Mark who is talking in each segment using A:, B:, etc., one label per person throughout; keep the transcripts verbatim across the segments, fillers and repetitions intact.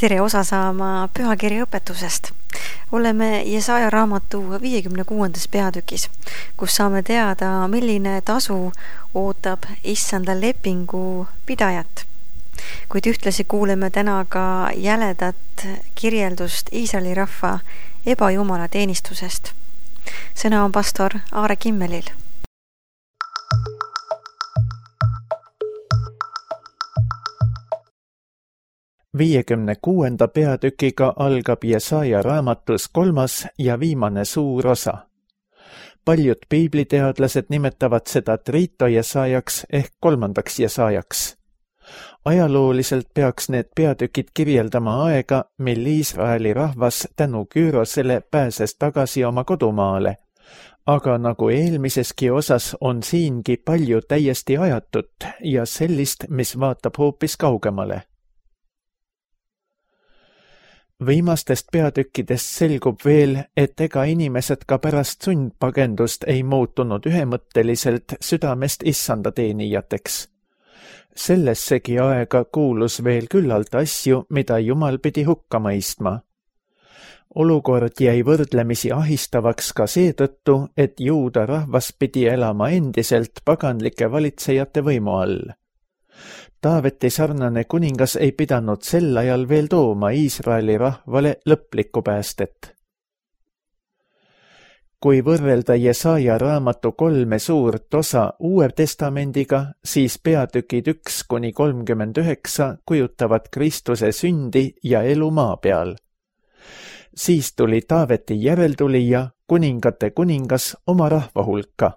A: tere osa saama pühakirja õpetusest. Oleme Jesaja raamatu viiekümne kuuendas peatükis, kus saame teada, milline tasu ootab issanda lepingu pidajat. Kuid ühtlasi kuuleme täna ka jäledat kirjeldust Iisraeli rahva ebajumala teenistusest. Sõna on pastor Aare Kimmelil.
B: viiekümne kuuenda peatükiga algab Jesaja raamatus kolmas ja viimane suur osa. Paljud piibliteadlased nimetavad seda Trito Jesajaks ehk kolmandaks Jesajaks. Ajalooliselt peaks need peatükid kirjeldama aega, mil Iisraeli rahvas tänu Küürosele pääses tagasi oma kodumaale, aga nagu eelmiseski osas on siingi palju täiesti ajatut ja sellist, mis vaatab hoopis kaugemale. Viimastest peatükkidest selgub veel, et ega inimesed ka pärast sundpagendust ei muutunud ühemõtteliselt südamest issanda teenijateks. Sellessegi aega kuulus veel küllalt asju, mida Jumal pidi hukka mõistma. Olukord jäi võrdlemisi ahistavaks ka seetõttu, et juuda rahvas pidi elama endiselt paganlike valitsejate võimu all. Taaveti sarnane kuningas ei pidanud sel ajal veel tooma Iisraeli rahvale lõplikku päästet. Kui võrrelda Jesaja raamatu kolme suurt osa Uue Testamendiga, siis peatükid üks kuni kolmkümmend üheksa kujutavad Kristuse sündi ja elu maa peal. Siis tuli Taaveti järeltulija, kuningate kuningas oma rahva hulka.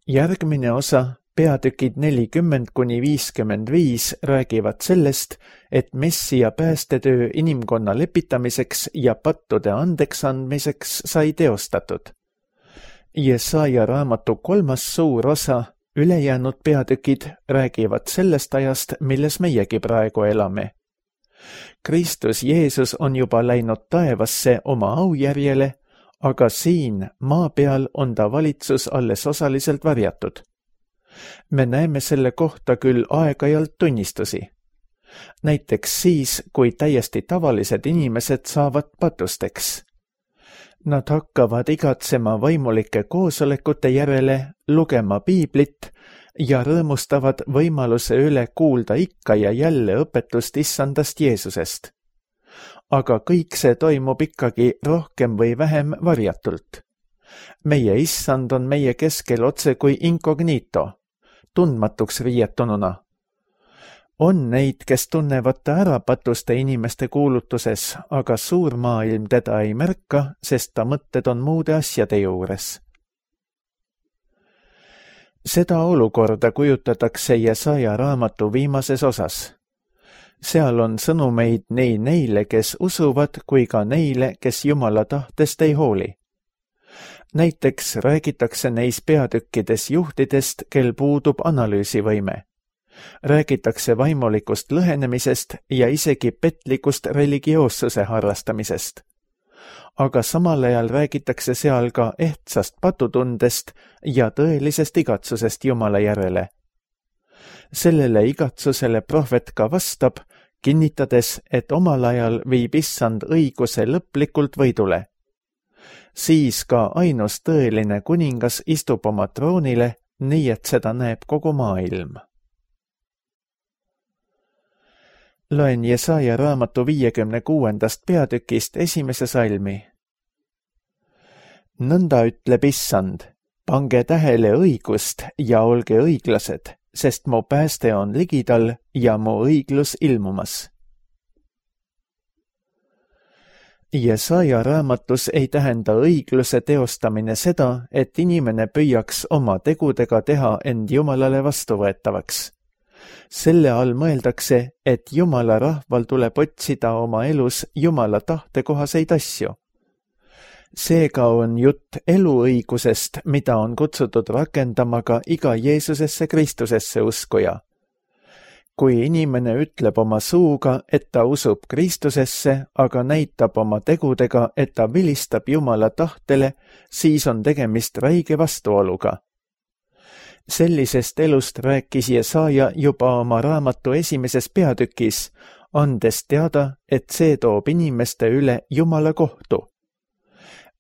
B: Järgmine osa, peatükid nelikümmend kuni viiskümmend viis räägivad sellest, et Messia päästetöö inimkonna lepitamiseks ja pattude andeks andmiseks sai teostatud. Jesaja raamatu kolmas suur osa, ülejäänud peatükid räägivad sellest ajast, milles meiegi praegu elame. Kristus Jeesus on juba läinud taevasse oma aujärjele, aga siin maa peal on ta valitsus alles osaliselt varjatud. Me näeme selle kohta küll aeg-ajalt tunnistusi. Näiteks siis, kui täiesti tavalised inimesed saavad patusteks. Nad hakkavad igatsema vaimulike koosolekute järele, lugema piiblit ja rõõmustavad võimaluse üle kuulda ikka ja jälle õpetust issandast Jeesusest. Aga kõik see toimub ikkagi rohkem või vähem varjatult. Meie issand on meie keskel otse kui incognito, tundmatuks riietununa. On neid, kes tunnevad ta ära patuste inimeste kuulutuses, aga suur maailm teda ei märka, sest ta mõtted on muude asjade juures. Seda olukorda kujutatakse Jesaja raamatu viimases osas. Seal on sõnumeid nii neile, kes usuvad, kui ka neile, kes Jumala tahtest ei hooli. Näiteks räägitakse neis peatükkides juhtidest, kel puudub analüüsivõime. Räägitakse vaimulikust lõhenemisest ja isegi petlikust religioossuse harrastamisest. Aga samal ajal räägitakse seal ka ehtsast patutundest ja tõelisest igatsusest Jumala järele. Sellele igatsusele prohvet ka vastab, kinnitades, et omal ajal viib issand õiguse lõplikult võidule. Siis ka ainus tõeline kuningas istub oma troonile, nii et seda näeb kogu maailm. Loen Jesaja raamatu viiekümne kuuendast peatükist esimese salmi. Nõnda ütleb issand, pange tähele õigust ja olge õiglased, sest mu pääste on ligidal ja mu õiglus ilmumas. Jesaja raamatus ei tähenda õigluse teostamine seda, et inimene püüaks oma tegudega teha end Jumalale vastuvõetavaks. Selle all mõeldakse, et Jumala rahval tuleb otsida oma elus Jumala tahtekohaseid asju. Seega on jutt eluõigusest, mida on kutsutud rakendama ka iga Jeesusesse Kristusesse uskuja. Kui inimene ütleb oma suuga, et ta usub Kristusesse, aga näitab oma tegudega, et ta vilistab Jumala tahtele, siis on tegemist räige vastuoluga. Sellisest elust rääkis Jesaja juba oma raamatu esimeses peatükis, andes teada, et see toob inimeste üle Jumala kohtu.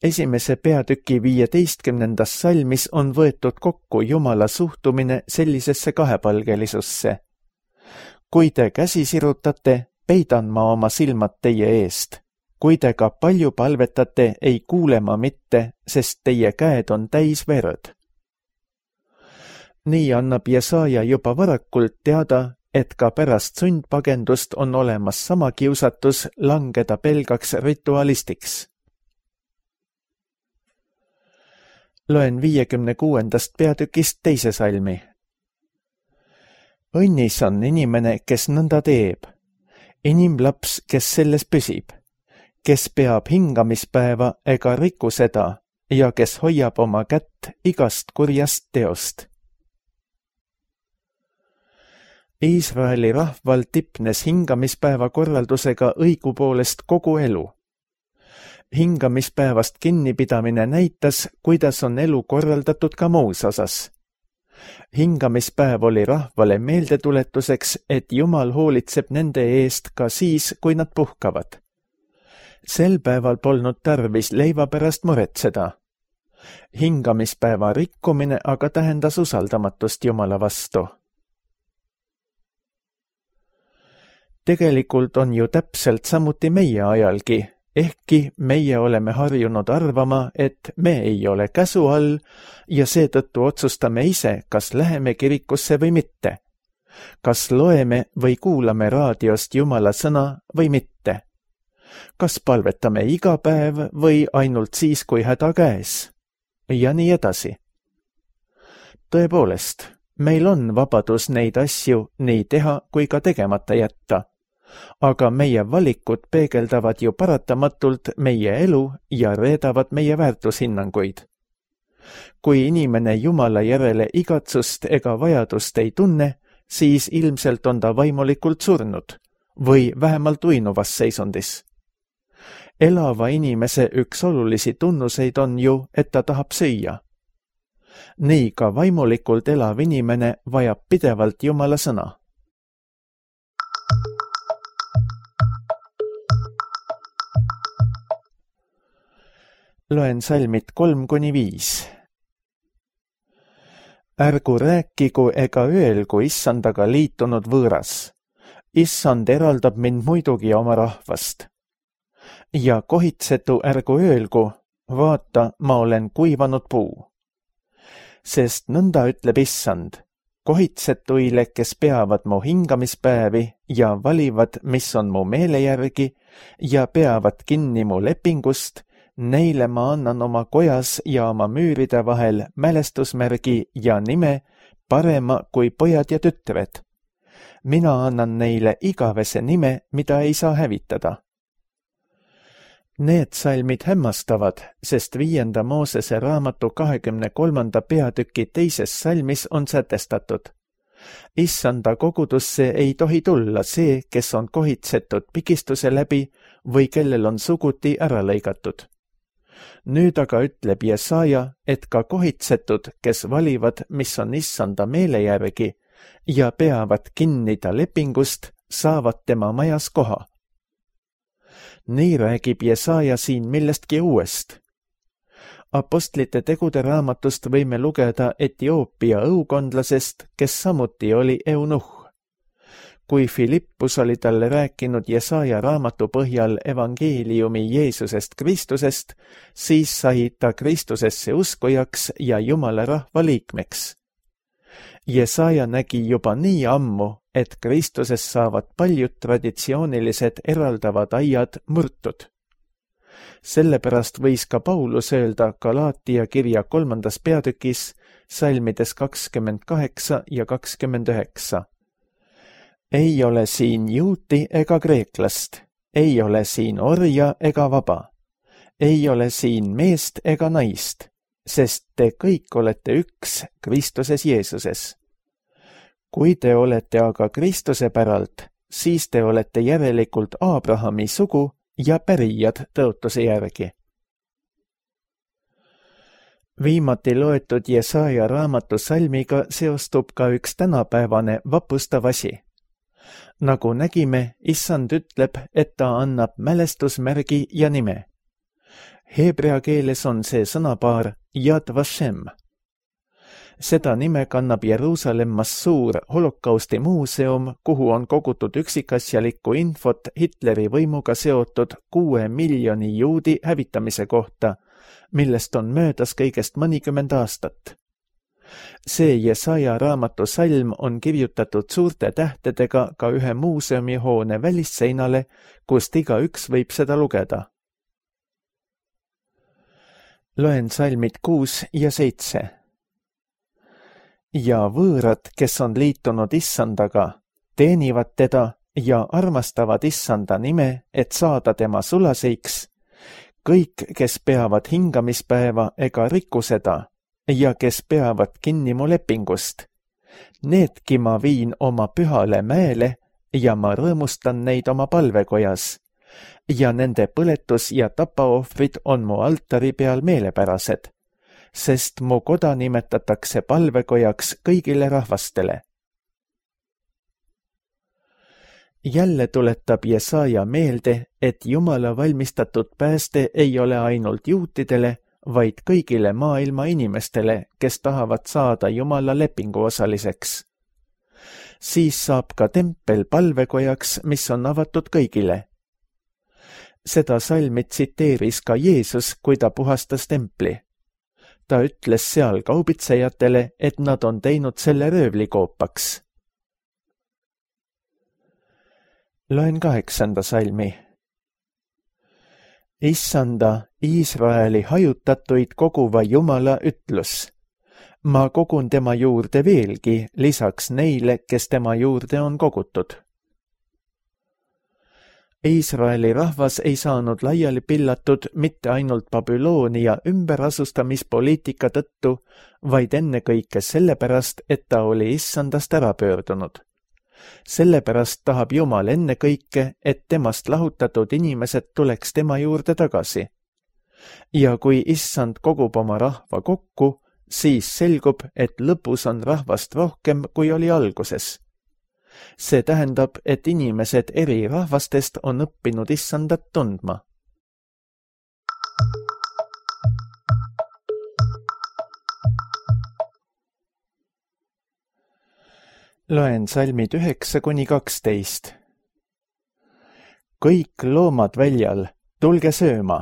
B: Esimese peatüki viieteistkümnendas salmis on võetud kokku Jumala suhtumine sellisesse kahepalgelisusse. Kui te käsi sirutate, peidan ma oma silmad teie eest. Kui te ka palju palvetate, ei kuule ma mitte, sest teie käed on täis verd. Nii annab Jesaja juba varakult teada, et ka pärast sundpagendust on olemas sama kiusatus langeda pelgaks ritualistiks. Loen viiekümne kuuendast peatükist teise salmi. Õnnis on inimene, kes nõnda teeb, inimlaps, kes selles püsib, kes peab hingamispäeva ega riku seda ja kes hoiab oma kätt igast kurjast teost. Iisraeli rahval tipnes hingamispäeva korraldusega õigupoolest kogu elu. Hingamispäevast kinnipidamine näitas, kuidas on elu korraldatud ka muus osas. Hingamispäev oli rahvale meeldetuletuseks, et Jumal hoolitseb nende eest ka siis, kui nad puhkavad. Sel päeval polnud tarvis leiva pärast muretseda. Hingamispäeva rikkumine aga tähendas usaldamatust Jumala vastu. Tegelikult on ju täpselt samuti meie ajalgi, ehkki meie oleme harjunud arvama, et me ei ole käsu all ja seetõttu otsustame ise, kas läheme kirikusse või mitte. Kas loeme või kuulame raadiost Jumala sõna või mitte. Kas palvetame iga päev või ainult siis, kui häda käes? Ja nii edasi. Tõepoolest, meil on vabadus neid asju nii teha kui ka tegemata jätta. Aga meie valikud peegeldavad ju paratamatult meie elu ja reedavad meie väärtushinnanguid. Kui inimene Jumala järele igatsust ega vajadust ei tunne, siis ilmselt on ta vaimulikult surnud või vähemalt uinuvas seisundis. Elava inimese üks olulisi tunnuseid on ju, et ta tahab süüa. Nii ka vaimulikult elav inimene vajab pidevalt Jumala sõna. Loen salmid kolm kuni viis. Ärgu rääkigu ega öelgu issandaga liitunud võõras. Issand eraldab mind muidugi oma rahvast. Ja kohitsetu ärgu öelgu, vaata, ma olen kuivanud puu. Sest nõnda ütleb issand, kohitsetuile, kes peavad mu hingamispäevi ja valivad, mis on mu meele järgi ja peavad kinni mu lepingust, neile ma annan oma kojas ja oma müüride vahel mälestusmärgi ja nime parema kui pojad ja tütred. Mina annan neile igavese nime, mida ei saa hävitada. Need salmid hämmastavad, sest viienda Moosese raamatu kahekümne kolmanda peatüki teises salmis on sätestatud. Issanda kogudusse ei tohi tulla see, kes on kohitsetud pikistuse läbi või kellel on suguti ära lõigatud. Nüüd aga ütleb Jesaja, et ka kohitsetud, kes valivad, mis on issanda meele järgi ja peavad kinni ta lepingust, saavad tema majas koha. Nii räägib Jesaja siin millestki uuest. Apostlite tegude raamatust võime lugeda Etioopia õukondlasest, kes samuti oli eunuh. Kui Filippus oli talle rääkinud Jesaja raamatu põhjal evangeeliumi Jeesusest Kristusest, siis sai ta Kristusesse uskujaks ja Jumala rahva liikmeks. Jesaja nägi juba nii ammu, et Kristuses saavad paljud traditsioonilised eraldavad aiad murtud. Sellepärast võis ka Paulus öelda Galaatia kirja kolmandas peatükis, salmides kakskümmend kaheksa ja kakskümmend üheksa. Ei ole siin juuti ega kreeklast, ei ole siin orja ega vaba, ei ole siin meest ega naist, sest te kõik olete üks Kristuses Jeesuses. Kui te olete aga Kristuse päralt, siis te olete järelikult Abrahami sugu ja pärijad tõotuse järgi. Viimati loetud Jesaja raamatu salmiga seostub ka üks tänapäevane vapustav asi. Nagu nägime, issand ütleb, et ta annab mälestusmärgi ja nime. Heebrea keeles on see sõnapaar Yad Vashem. Seda nime kannab Jeruusalemmas suur holokausti muuseum, kuhu on kogutud üksikasjalikku infot Hitleri võimuga seotud kuue miljoni juudi hävitamise kohta, millest on möödas kõigest mõnikümmend aastat. See Jesaja raamatu salm on kirjutatud suurte tähtedega ka ühe muuseumihoone välisseinale, kust igaüks võib seda lugeda. Loen salmid kuus ja seitse. Ja võõrad, kes on liitunud issandaga, teenivad teda ja armastavad issanda nime, et saada tema sulaseiks, kõik, kes peavad hingamispäeva ega riku seda ja kes peavad kinni mu lepingust. Needki ma viin oma pühale mäele ja ma rõõmustan neid oma palvekojas ja nende põletus ja tapaohvrid on mu altari peal meelepärased, sest mu koda nimetatakse palvekojaks kõigile rahvastele. Jälle tuletab Jesaja meelde, et Jumala valmistatud pääste ei ole ainult juutidele, vaid kõigile maailma inimestele, kes tahavad saada Jumala lepingu osaliseks. Siis saab ka tempel palvekojaks, mis on avatud kõigile. Seda salmi tsiteeris ka Jeesus, kui ta puhastas templi. Ta ütles seal kaubitsejatele, et nad on teinud selle röövlikoopaks. Loen kaheksanda salmi. Issanda, Iisraeli hajutatuid koguva Jumala ütlus. Ma kogun tema juurde veelgi, lisaks neile, kes tema juurde on kogutud. Iisraeli rahvas ei saanud laiali pillatud mitte ainult Babyloonia ümberasustamispoliitika tõttu, vaid ennekõike sellepärast, et ta oli issandast ära pöördunud. Sellepärast tahab Jumal ennekõike, et temast lahutatud inimesed tuleks tema juurde tagasi. Ja kui issand kogub oma rahva kokku, siis selgub, et lõpus on rahvast rohkem, kui oli alguses. See tähendab, et inimesed eri rahvastest on õppinud issandat tundma. Loen salmid üheksa kuni kaksteist. Kõik loomad väljal, tulge sööma.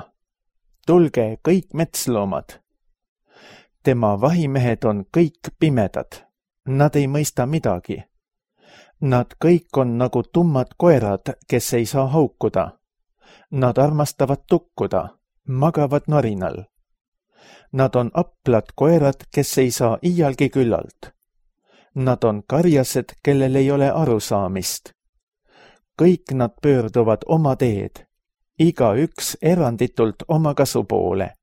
B: Tulge kõik metsloomad. Tema vahimehed on kõik pimedad. Nad ei mõista midagi. Nad kõik on nagu tummad koerad, kes ei saa haukuda. Nad armastavad tukkuda, magavad narinal. Nad on aplad koerad, kes ei saa iialgi küllalt. Nad on karjased, kellel ei ole arusaamist. Kõik nad pöörduvad oma teed, igaüks eranditult oma kasu poole.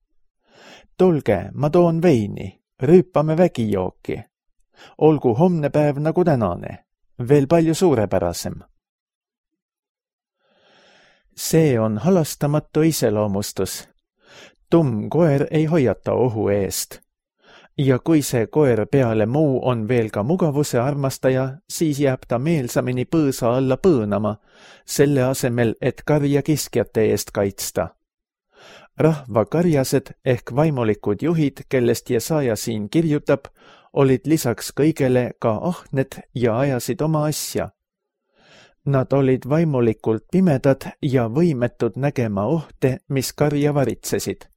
B: Tulge, ma toon veini, rüüpame vägijooki. Olgu homne päev nagu tänane, veel palju suurepärasem. See on halastamatu iseloomustus. Tumm koer ei hoiata ohu eest. Ja kui see koer peale muu on veel ka mugavuse armastaja, siis jääb ta meelsamini põõsa alla põõnama, selle asemel, et karja kiskjate eest kaitsta. Rahva karjased ehk vaimulikud juhid, kellest Jesaja siin kirjutab, olid lisaks kõigele ka ahned ja ajasid oma asja. Nad olid vaimulikult pimedad ja võimetud nägema ohte, mis karja varitsesid.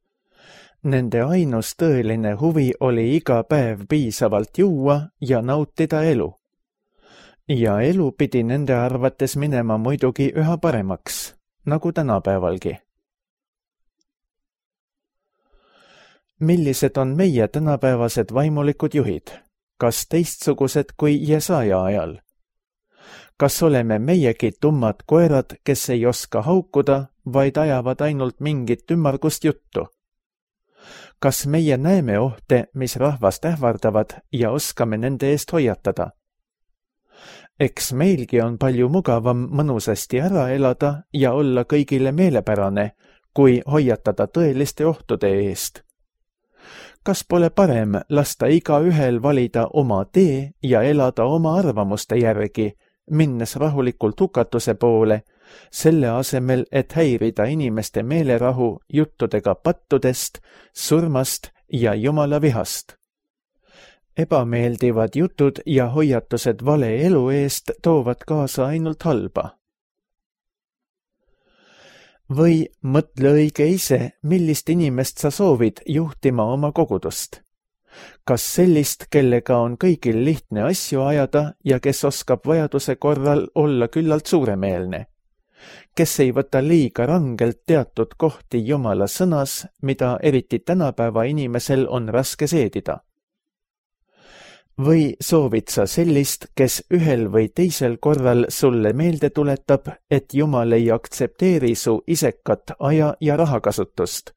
B: Nende ainus tõeline huvi oli iga päev piisavalt juua ja nautida elu. Ja elu pidi nende arvates minema muidugi üha paremaks, nagu tänapäevalgi. Millised on meie tänapäevased vaimulikud juhid? Kas teistsugused kui Jesaja ajal? Kas oleme meiegi tummad koerad, kes ei oska haukuda, vaid ajavad ainult mingit ümmargust juttu? Kas meie näeme ohte, mis rahvast ähvardavad ja oskame nende eest hoiatada? Eks meilgi on palju mugavam mõnusasti ära elada ja olla kõigile meelepärane, kui hoiatada tõeliste ohtude eest. Kas pole parem lasta igaühel valida oma tee ja elada oma arvamuste järgi, minnes rahulikult hukatuse poole, selle asemel, et häirida inimeste meelerahu juttudega pattudest, surmast ja Jumala vihast. Ebameeldivad jutud ja hoiatused vale elu eest toovad kaasa ainult halba. Või mõtle õige ise, millist inimest sa soovid juhtima oma kogudust. Kas sellist, kellega on kõigil lihtne asju ajada ja kes oskab vajaduse korral olla küllalt suuremeelne? Kes ei võta liiga rangelt teatud kohti Jumala sõnas, mida eriti tänapäeva inimesel on raske seedida? Või soovid sa sellist, kes ühel või teisel korral sulle meelde tuletab, et Jumal ei aktsepteeri su isekat aja- ja rahakasutust,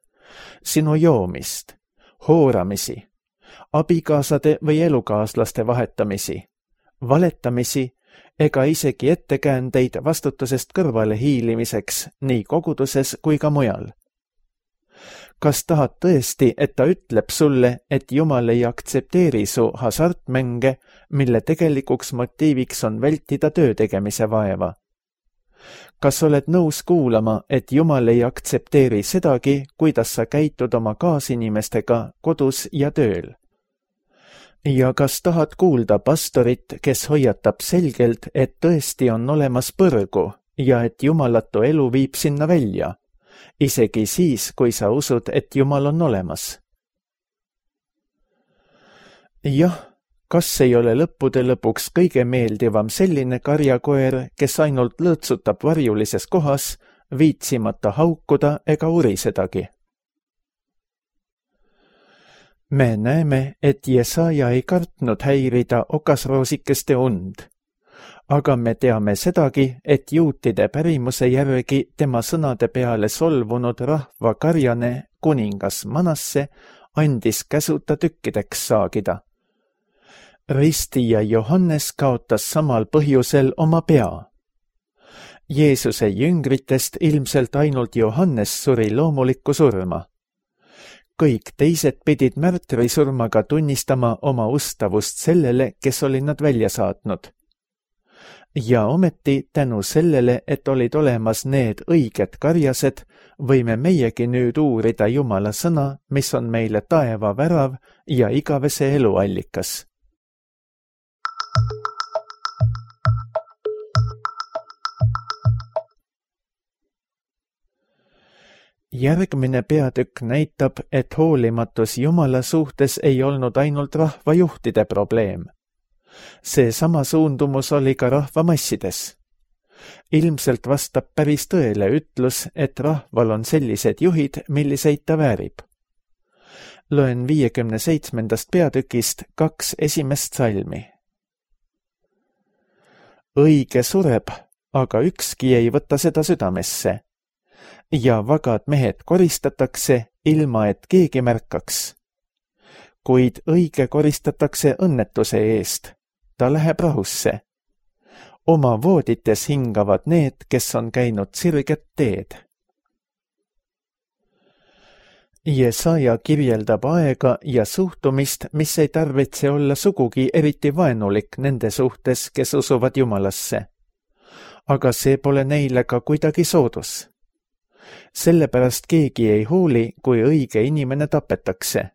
B: sinu joomist, hooramisi, abikaasade või elukaaslaste vahetamisi, valetamisi ega isegi ettekäändeid vastutusest kõrvale hiilimiseks nii koguduses kui ka mujal? Kas tahad tõesti, et ta ütleb sulle, et Jumal ei aktsepteeri su hasartmänge, mille tegelikuks motiiviks on vältida töö tegemise vaeva? Kas oled nõus kuulama, et Jumal ei aktsepteeri sedagi, kuidas sa käitud oma kaasinimestega kodus ja tööl? Ja kas tahad kuulda pastorit, kes hoiatab selgelt, et tõesti on olemas põrgu ja et jumalatu elu viib sinna välja? Isegi siis, kui sa usud, et Jumal on olemas. Jah, kas ei ole lõppude lõpuks kõige meeldivam selline karjakoer, kes ainult lõõtsutab varjulises kohas, viitsimata haukuda ega urisedagi? Me näeme, et Jesaja ei kartnud häirida okasroosikeste und. Aga me teame sedagi, et juutide pärimuse järgi tema sõnade peale solvunud rahva karjane kuningas Manasse andis käsuta tükkideks saagida. Ristija Johannes kaotas samal põhjusel oma pea. Jeesuse jüngritest ilmselt ainult Johannes suri loomulikku surma. Kõik teised pidid märtrisurmaga tunnistama oma ustavust sellele, kes oli nad välja saatnud. Ja ometi tänu sellele, et olid olemas need õiged karjased, võime meiegi nüüd uurida Jumala sõna, mis on meile taeva värav ja igavese elu allikas. Järgmine peatükk näitab, et hoolimatus Jumala suhtes ei olnud ainult rahvajuhtide probleem. See sama suundumus oli ka rahvamassides. Ilmselt vastab päris tõele ütlus, et rahval on sellised juhid, milliseid ta väärib. Loen viiekümne seitsmendast peatükist kaks esimest salmi. Õige sureb, aga ükski ei võta seda südamesse. Ja vagad mehed koristatakse, ilma et keegi märkaks. Kuid õige koristatakse õnnetuse eest. Ta läheb rahusse. Oma voodites hingavad need, kes on käinud sirget teed. Jesaja kirjeldab aega ja suhtumist, mis ei tarvitse olla sugugi eriti vaenulik nende suhtes, kes usuvad Jumalasse. Aga see pole neile ka kuidagi soodus. Sellepärast keegi ei hooli, kui õige inimene tapetakse.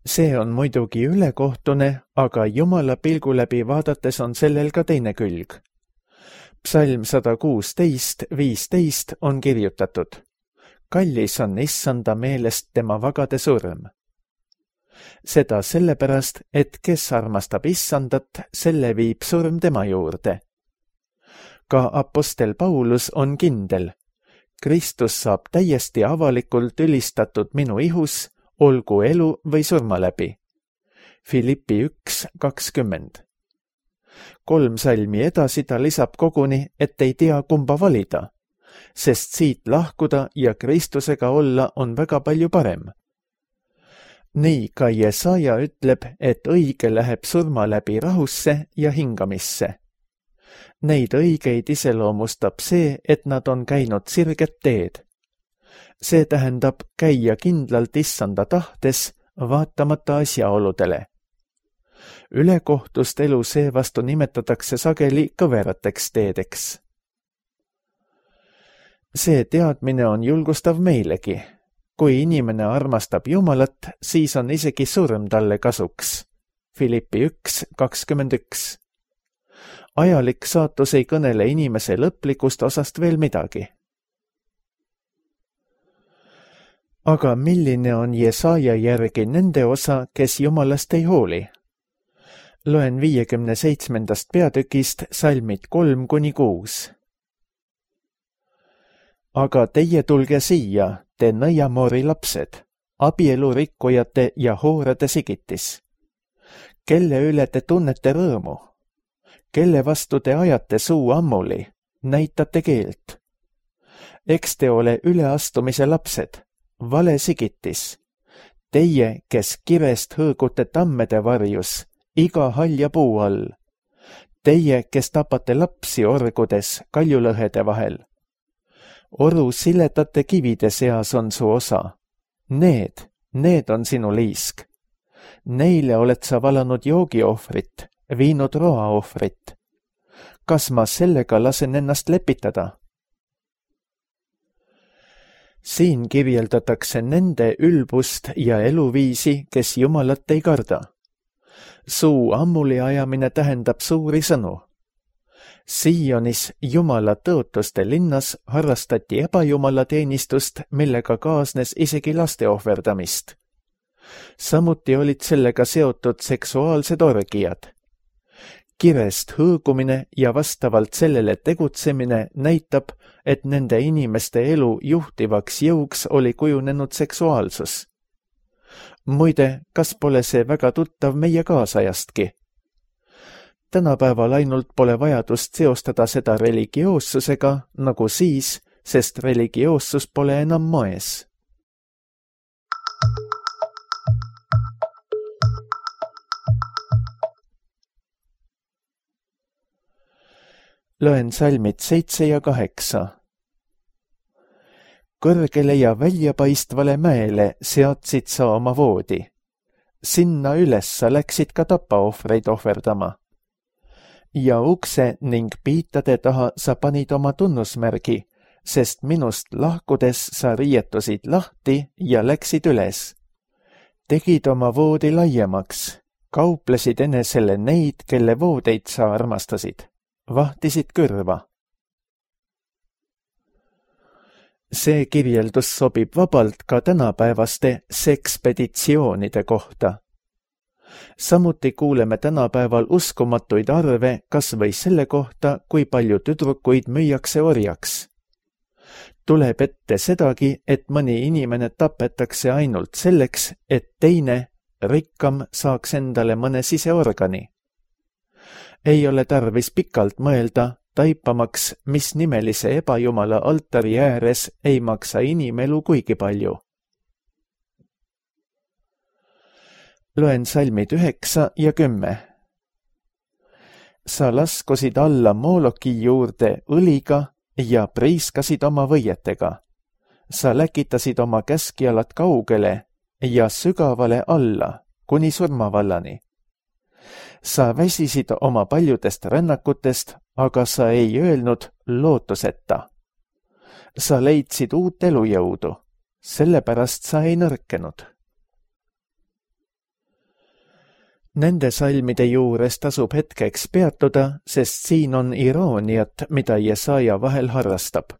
B: See on muidugi ülekohtune, aga Jumala pilgu läbi vaadates on sellel ka teine külg. Psalm sada kuusteist viisteist on kirjutatud. Kallis on issanda meelest tema vagade surm. Seda sellepärast, et kes armastab issandat, selle viib surm tema juurde. Ka apostel Paulus on kindel. Kristus saab täiesti avalikult ülistatud minu ihus, olgu elu või surma läbi. Filippi üks kakskümmend. Kolm salmi edasi ta lisab koguni, et ei tea kumba valida, sest siit lahkuda ja Kristusega olla on väga palju parem. Nii ka Jesaja ütleb, et õige läheb surma läbi rahusse ja hingamisse. Neid õigeid iseloomustab see, et nad on käinud sirget teed. See tähendab käia kindlalt issanda tahtes, vaatamata asjaoludele. Ülekohtust elu seevastu nimetatakse sageli kõverateks teedeks. See teadmine on julgustav meilegi. Kui inimene armastab Jumalat, siis on isegi surm talle kasuks. Filippi üks kakskümmend üks. Ajalik saatus ei kõnele inimese lõplikust osast veel midagi. Aga milline on Jesaja järgi nende osa, kes Jumalast ei hooli? Loen viiekümne seitsmendast peatükist salmid kolm kuni kuus. Aga teie tulge siia, te nõiamoori lapsed, abielurikkujate ja hoorade sigitis. Kelle üle te tunnete rõõmu? Kelle vastu te ajate suu ammuli, näitate keelt? Eks te ole üleastumise lapsed, vale sigitis. Teie, kes kirest hõõgute tammede varjus, iga halja puu all. Teie, kes tapate lapsi orgudes kaljulõhede vahel. Oru siletate kivide seas on su osa. Need, need on sinu liisk. Neile oled sa valanud joogiohvrit, viinud roaohvrit. Kas ma sellega lasen ennast lepitada? Siin kirjeldatakse nende ülbust ja eluviisi, kes Jumalat ei karda. Suu ammuli ajamine tähendab suuri sõnu. Sionis Jumala tõotuste linnas harrastati ebajumala teenistust, millega kaasnes isegi laste ohverdamist. Samuti olid sellega seotud seksuaalsed orgiad. Kirest hõõgumine ja vastavalt sellele tegutsemine näitab, et nende inimeste elu juhtivaks jõuks oli kujunenud seksuaalsus. Muide, kas pole see väga tuttav meie kaasajastki? Tänapäeval ainult pole vajadust seostada seda religioossusega nagu siis, sest religioossus pole enam moes. Loen salmid seitse ja kaheksa. Kõrgele ja väljapaistvale mäele seadsid sa oma voodi. Sinna üles sa läksid ka tapaohvreid ohverdama. Ja ukse ning piitade taha sa panid oma tunnusmärgi, sest minust lahkudes sa riietusid lahti ja läksid üles. Tegid oma voodi laiemaks, kauplesid enesele neid, kelle voodeid sa armastasid, vahtisid kõrva. See kirjeldus sobib vabalt ka tänapäevaste sekspeditsioonide kohta. Samuti kuuleme tänapäeval uskumatuid arve kas või selle kohta, kui palju tüdrukuid müüakse orjaks. Tuleb ette sedagi, et mõni inimene tapetakse ainult selleks, et teine, rikkam, saaks endale mõne siseorgani. Ei ole tarvis pikalt mõelda, taipamaks, mis nimelise ebajumala altari ääres ei maksa inimelu kuigi palju. Loen salmid üheksa ja kümme. Sa laskusid alla Mooloki juurde õliga ja priiskasid oma võietega. Sa läkitasid oma käskjalad kaugele ja sügavale alla, kuni surmavallani. Sa väsisid oma paljudest rännakutest, aga sa ei öelnud lootuseta. Sa leidsid uut elujõudu, sellepärast sa ei nõrkenud. Nende salmide juures tasub hetkeks peatuda, sest siin on irooniat, mida Jesaja vahel harrastab.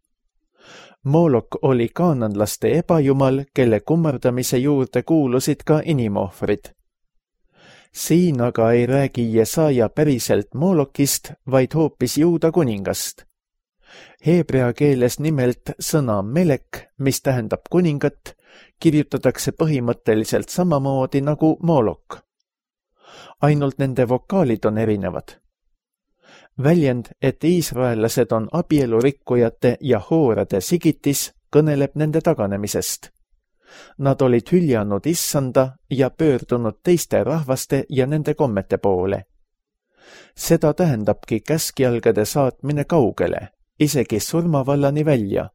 B: Moolok oli kaananlaste ebajumal, kelle kummardamise juurde kuulusid ka inimohvrid. Siin aga ei räägi Jesaja päriselt Moolokist, vaid hoopis Juuda kuningast. Heebrea keeles nimelt sõna melek, mis tähendab kuningat, kirjutatakse põhimõtteliselt samamoodi nagu Moolok. Ainult nende vokaalid on erinevad. Väljend, et iisraellased on abielurikkujate ja hoorade sigitis, kõneleb nende taganemisest. Nad olid hüljanud issanda ja pöördunud teiste rahvaste ja nende kommete poole. Seda tähendabki käskjalgade saatmine kaugele, isegi surmavallani välja.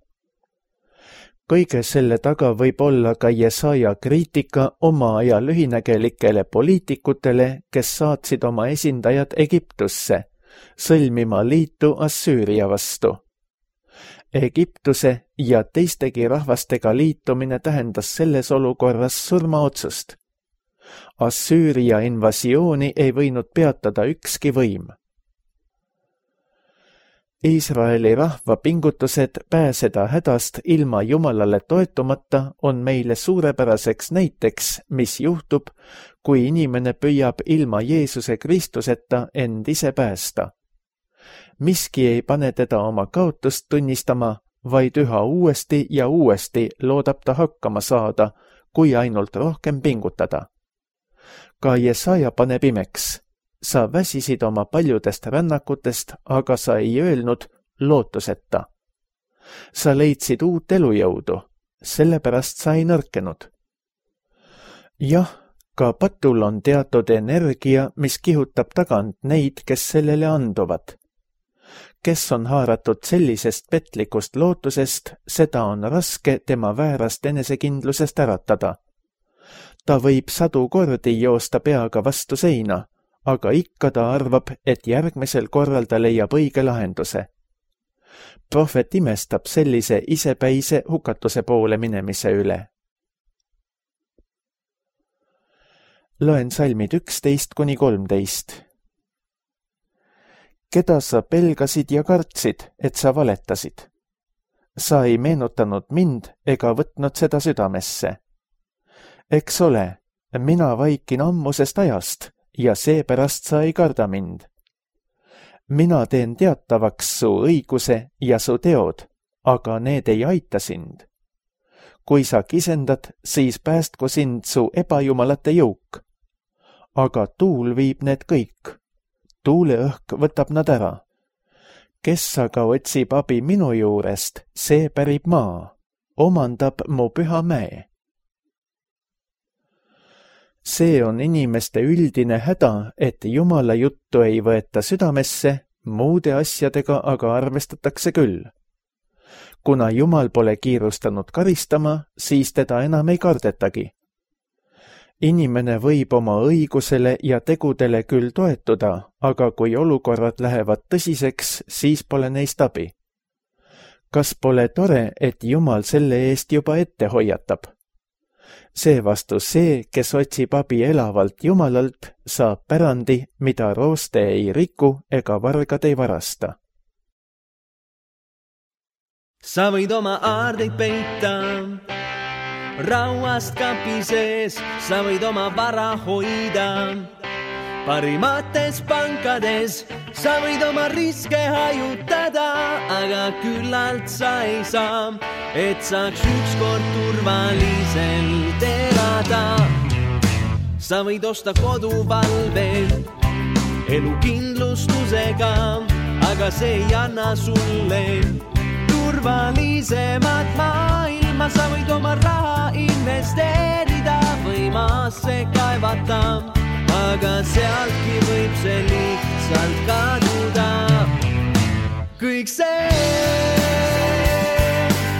B: Kõige selle taga võib olla ka Jesaja kriitika oma aja lühinägelikele poliitikutele, kes saatsid oma esindajad Egiptusse, sõlmima liitu Assüüria vastu. Egiptuse ja teistegi rahvastega liitumine tähendas selles olukorras surmaotsust. Assüüria invasiooni ei võinud peatada ükski võim. Iisraeli rahva pingutused pääseda hädast ilma Jumalale toetumata on meile suurepäraseks näiteks, mis juhtub, kui inimene püüab ilma Jeesuse Kristuseta end ise päästa. Miski ei pane teda oma kaotust tunnistama, vaid üha uuesti ja uuesti loodab ta hakkama saada, kui ainult rohkem pingutada. Ka Jesaja paneb imeks. Sa väsisid oma paljudest rännakutest, aga sa ei öelnud lootuseta. Sa leidsid uut elujõudu, sellepärast sa ei nõrkenud. Jah, ka patul on teatud energia, mis kihutab tagant neid, kes sellele anduvad. Kes on haaratud sellisest petlikust lootusest, seda on raske tema väärast enesekindlusest äratada. Ta võib sadu kordi joosta peaga vastu seina, aga ikka ta arvab, et järgmisel korral ta leiab õige lahenduse. Prohvet imestab sellise isepäise hukatuse poole minemise üle. Loen salmid üksteist kuni kolmteist. Keda sa pelgasid ja kartsid, et sa valetasid? Sa ei meenutanud mind ega võtnud seda südamesse. Eks ole, mina vaikin ammusest ajast, ja seepärast sa ei karda mind. Mina teen teatavaks su õiguse ja su teod, aga need ei aita sind. Kui sa kisendad, siis päästku sind su ebajumalate jõuk. Aga tuul viib need kõik. Tuuleõhk võtab nad ära. Kes aga otsib abi minu juurest, see pärib maa, omandab mu püha mäe. See on inimeste üldine häda, et Jumala juttu ei võeta südamesse, muude asjadega aga arvestatakse küll. Kuna Jumal pole kiirustanud karistama, siis teda enam ei kardetagi. Inimene võib oma õigusele ja tegudele küll toetuda, aga kui olukorrad lähevad tõsiseks, siis pole neist abi. Kas pole tore, et Jumal selle eest juba ette hoiatab? Seevastu see, kes otsib abi elavalt Jumalalt, saab pärandi, mida rooste ei riku ega vargad ei varasta.
C: Sa võid oma aardeid peita rauast kapi sees, sa võid oma vara hoida parimates pankades, sa võid oma riske hajutada, aga küllalt sa ei saa, et saaks ükskord turvaliselt elada. Sa võid osta koduvalve elukindlustusega, aga see ei anna sulle turvalisemat maailma. Sa võid oma raha investeerida või maasse kaevata, aga sealtki võib see lihtsalt kaduda. Kõik see,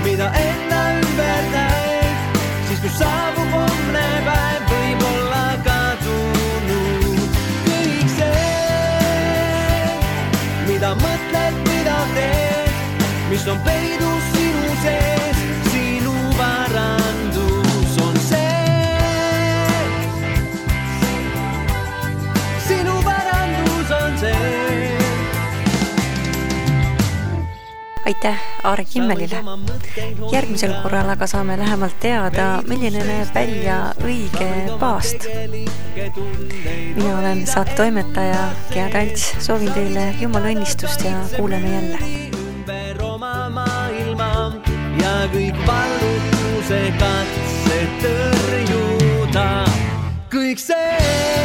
C: mida enda ümber näed, siis kui saabub homne päev, võib olla kadunud. Kõik see, mida mõtled, mida teed, mis on peidus sinu sees, sinu varandus on see.
A: Aitäh Aare Kimmelile. Järgmisel korral aga saame lähemalt teada, milline näeb välja õige paast. Mina olen saate toimetaja Gea Talts. Soovin teile Jumala õnnistust ja kuuleme jälle.
C: Ümber oma maailma ja kõik vallutuse katse tõrjuda. Kõik see